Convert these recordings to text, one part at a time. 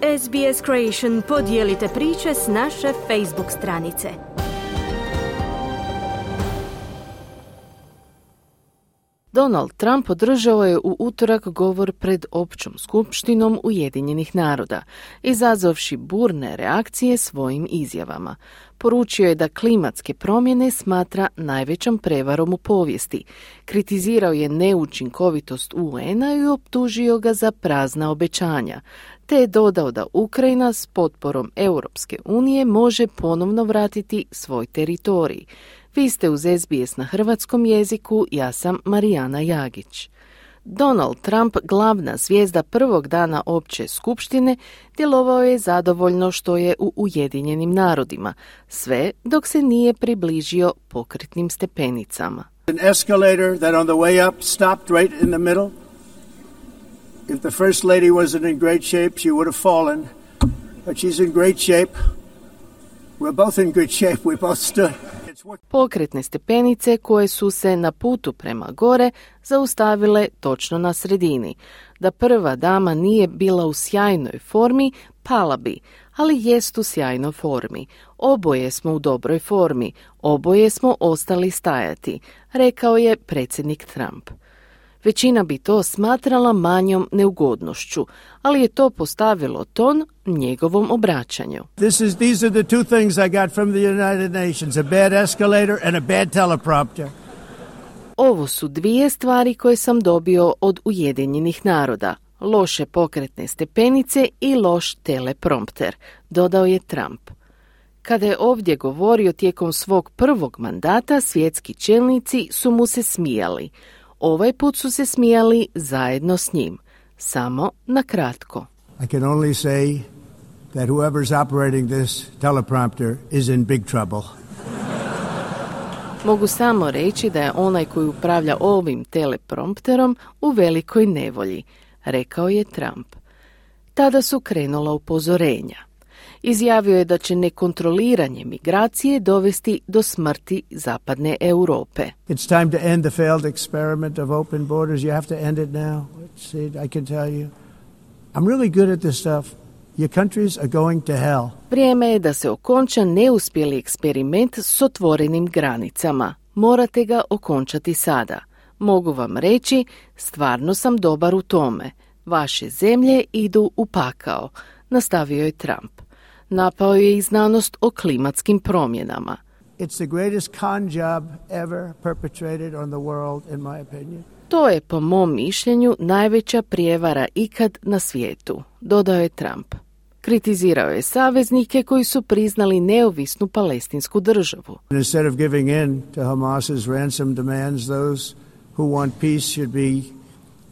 SBS Creation, podijelite priče s naše Facebook stranice. Donald Trump održao je u utorak govor pred općom skupštinom Ujedinjenih naroda, izazvavši burne reakcije svojim izjavama. Poručio je da klimatske promjene smatra najvećom prevarom u povijesti. Kritizirao je neučinkovitost UN-a i optužio ga za prazna obećanja, te je dodao da Ukrajina s potporom Europske unije može ponovno vratiti svoj teritorij. Vi ste uz SBS na hrvatskom jeziku, ja sam Marijana Jagić. Donald Trump, glavna zvijezda prvog dana opće skupštine, djelovao je zadovoljno što je u Ujedinjenim narodima, sve dok se nije približio pokretnim stepenicama. An escalator that on the way up stopped right in the middle. If the first lady wasn't in great shape, she would have fallen, but she's in great shape. We're both in good shape. We both stood. Pokretne stepenice koje su se na putu prema gore zaustavile točno na sredini. Da prva dama nije bila u sjajnoj formi, pala bi, ali jest u sjajnoj formi. Oboje smo u dobroj formi, oboje smo ostali stajati, rekao je predsjednik Trump. Većina bi to smatrala manjom neugodnošću, ali je to postavilo ton njegovom obraćanju. These are the two things I got from the United Nations, a bad escalator and a bad teleprompter. Ovo su dvije stvari koje sam dobio od Ujedinjenih naroda. Loše pokretne stepenice i loš teleprompter, dodao je Trump. Kada je ovdje govorio tijekom svog prvog mandata, svjetski čelnici su mu se smijali. Ovaj put su se smijali zajedno s njim. Samo na kratko. I can only say that whoever's operating this teleprompter is in big trouble. Mogu samo reći da je onaj koji upravlja ovim teleprompterom u velikoj nevolji, rekao je Trump. Tada su krenula upozorenja. Izjavio je da će nekontroliranje migracije dovesti do smrti zapadne Europe. It's time to end the failed experiment of open borders. You have to end it now. I can tell you. I'm really good at this stuff. Your countries are going to hell. Vrijeme je da se okonča neuspjeli eksperiment s otvorenim granicama. Morate ga okončati sada. Mogu vam reći, stvarno sam dobar u tome. Vaše zemlje idu u pakao, nastavio je Trump. Napao je i znanost o klimatskim promjenama. It's the greatest con job ever perpetrated on the world, in my opinion. To je, po mom mišljenju, najveća prijevara ikad na svijetu, dodao je Trump. Kritizirao je saveznike koji su priznali neovisnu palestinsku državu. Instead of giving in to Hamas's ransom demands, those who want peace should be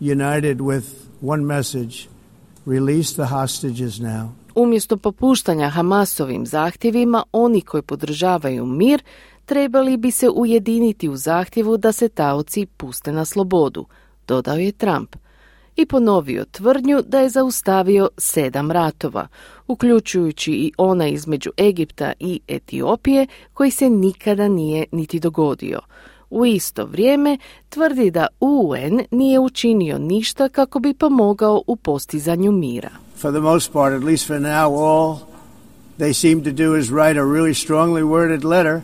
united with one message: release the hostages now. Umjesto popuštanja Hamasovim zahtjevima, oni koji podržavaju mir trebali bi se ujediniti u zahtjevu da se taoci puste na slobodu, dodao je Trump. I ponovio tvrdnju da je zaustavio 7 ratova, uključujući i onaj između Egipta i Etiopije koji se nikada nije niti dogodio. U isto vrijeme tvrdi da UN nije učinio ništa kako bi pomogao u postizanju mira. For the most part, at least for now, all they seem to do is write a really strongly worded letter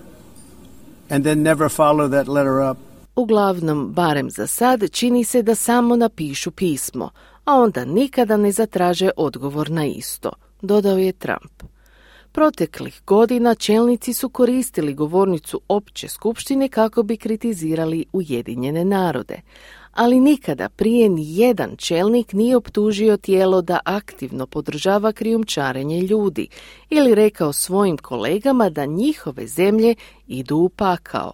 and then never follow that letter up. Uglavnom, barem za sad, čini se da samo napišu pismo, a onda nikada ne zatraže odgovor na isto, dodao je Trump. Proteklih godina čelnici su koristili govornicu opće skupštine kako bi kritizirali Ujedinjene narode, ali nikada prije ni jedan čelnik nije optužio tijelo da aktivno podržava krijumčarenje ljudi ili rekao svojim kolegama da njihove zemlje idu u pakao.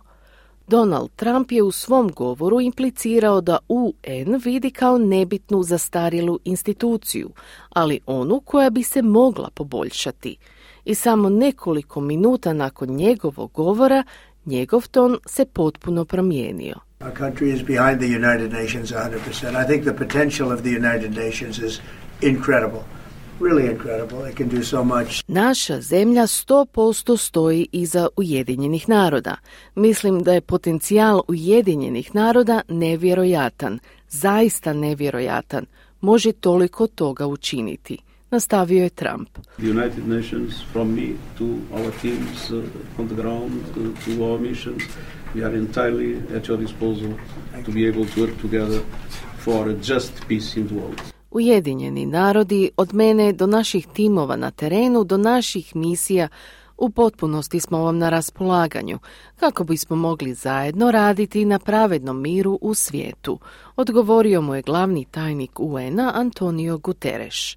Donald Trump je u svom govoru implicirao da UN vidi kao nebitnu zastarjelu instituciju, ali onu koja bi se mogla poboljšati. I samo nekoliko minuta nakon njegovog govora, njegov ton se potpuno promijenio. Our country is behind the United Nations 100%. I think the potential of the United Nations is incredible. Really incredible. It can do so much. Naša zemlja 100% stoji iza Ujedinjenih naroda. Mislim da je potencijal Ujedinjenih naroda nevjerojatan. Zaista nevjerojatan. Može toliko toga učiniti, Nastavio je Trump. The United Nations, from me to our teams on the ground, to our missions, we are entirely at your disposal to be able to work together for a just peace in the world. Ujedinjeni narodi, od mene do naših timova na terenu, do naših misija, u potpunosti smo vam na raspolaganju, kako bismo mogli zajedno raditi na pravednom miru u svijetu, odgovorio mu je glavni tajnik UN-a Antonio Guterres.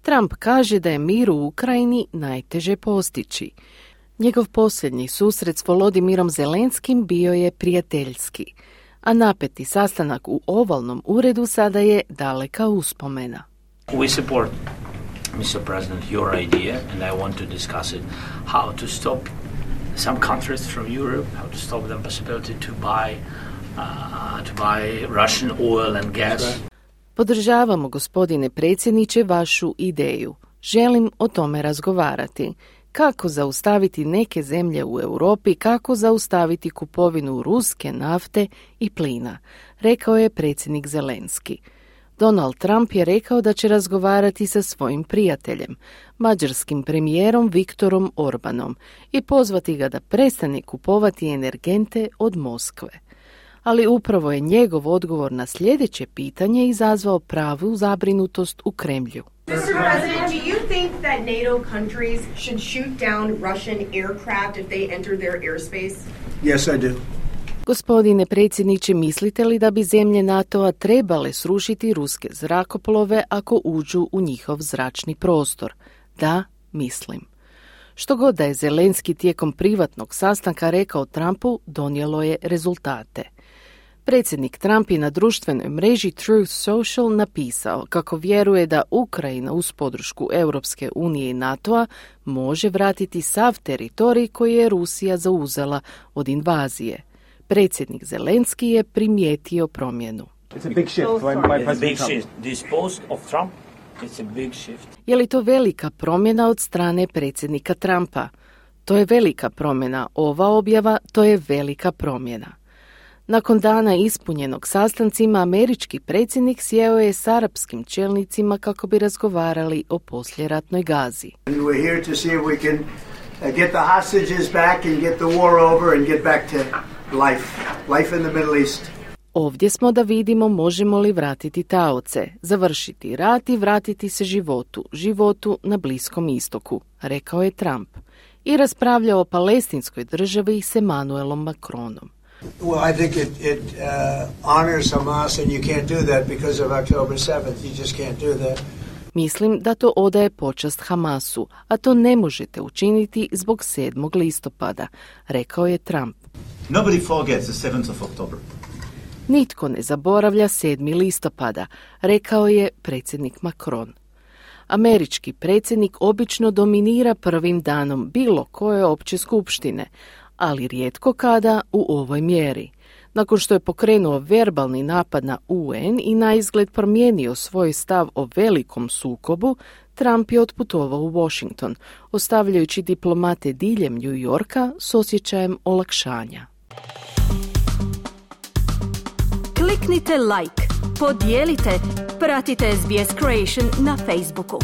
Trump kaže da je mir u Ukrajini najteže postići. Njegov posljednji susret s Volodimirom Zelenskim bio je prijateljski, a napeti sastanak u ovalnom uredu sada je daleka uspomena. We support, Mr. President, your idea, and I want to discuss it, how to stop some countries from Europe, how to stop the possibility to buy Russian oil and gas. Podržavamo, gospodine predsjedniče, vašu ideju. Želim o tome razgovarati. Kako zaustaviti neke zemlje u Europi, kako zaustaviti kupovinu ruske nafte i plina, rekao je predsjednik Zelenski. Donald Trump je rekao da će razgovarati sa svojim prijateljem, mađarskim premijerom Viktorom Orbanom, i pozvati ga da prestane kupovati energente od Moskve. Ali upravo je njegov odgovor na sljedeće pitanje izazvao pravu zabrinutost u Kremlju. Mr. President, do you think that NATO countries should shoot down Russian aircraft if they enter their airspace? Yes, I do. Gospodine predsjedniče, mislite li da bi zemlje NATO-a trebale srušiti ruske zrakoplove ako uđu u njihov zračni prostor? Da, mislim. Što god da je Zelenski tijekom privatnog sastanka rekao Trumpu, donijelo je rezultate. Predsjednik Trump je na društvenoj mreži Truth Social napisao kako vjeruje da Ukrajina uz podršku Europske unije i NATO-a može vratiti sav teritorij koji je Rusija zauzela od invazije. Predsjednik Zelenski je primijetio promjenu. Je li to velika promjena od strane predsjednika Trumpa? To je velika promjena. Ova objava, to je velika promjena. Nakon dana ispunjenog sastancima, američki predsjednik sjeo je s arapskim čelnicima kako bi razgovarali o poslijeratnoj Gazi. We're here to see if we can get the hostages back and get the war over and get back to life in the Middle East. Ovdje smo da vidimo možemo li vratiti taoce, završiti rat i vratiti se životu na Bliskom istoku, rekao je Trump. I raspravljao o palestinskoj državi s Emmanuelom Macronom. Well, I think it honors Hamas and you can't do that because of October 7th. You just can't do that. Mislim da to odaje počast Hamasu, a to ne možete učiniti zbog 7. listopada, rekao je Trump. Nobody forgets the 7th of October. Nitko ne zaboravlja 7. listopada, rekao je predsjednik Macron. Američki predsjednik obično dominira prvim danom bilo koje opće skupštine, ali rijetko kada u ovoj mjeri. Nakon što je pokrenuo verbalni napad na UN i naizgled promijenio svoj stav o velikom sukobu, Trump je otputovao u Washington, ostavljajući diplomate diljem New Yorka s osjećajem olakšanja. Kliknite like, podijelite, pratite SBS Creation na Facebooku.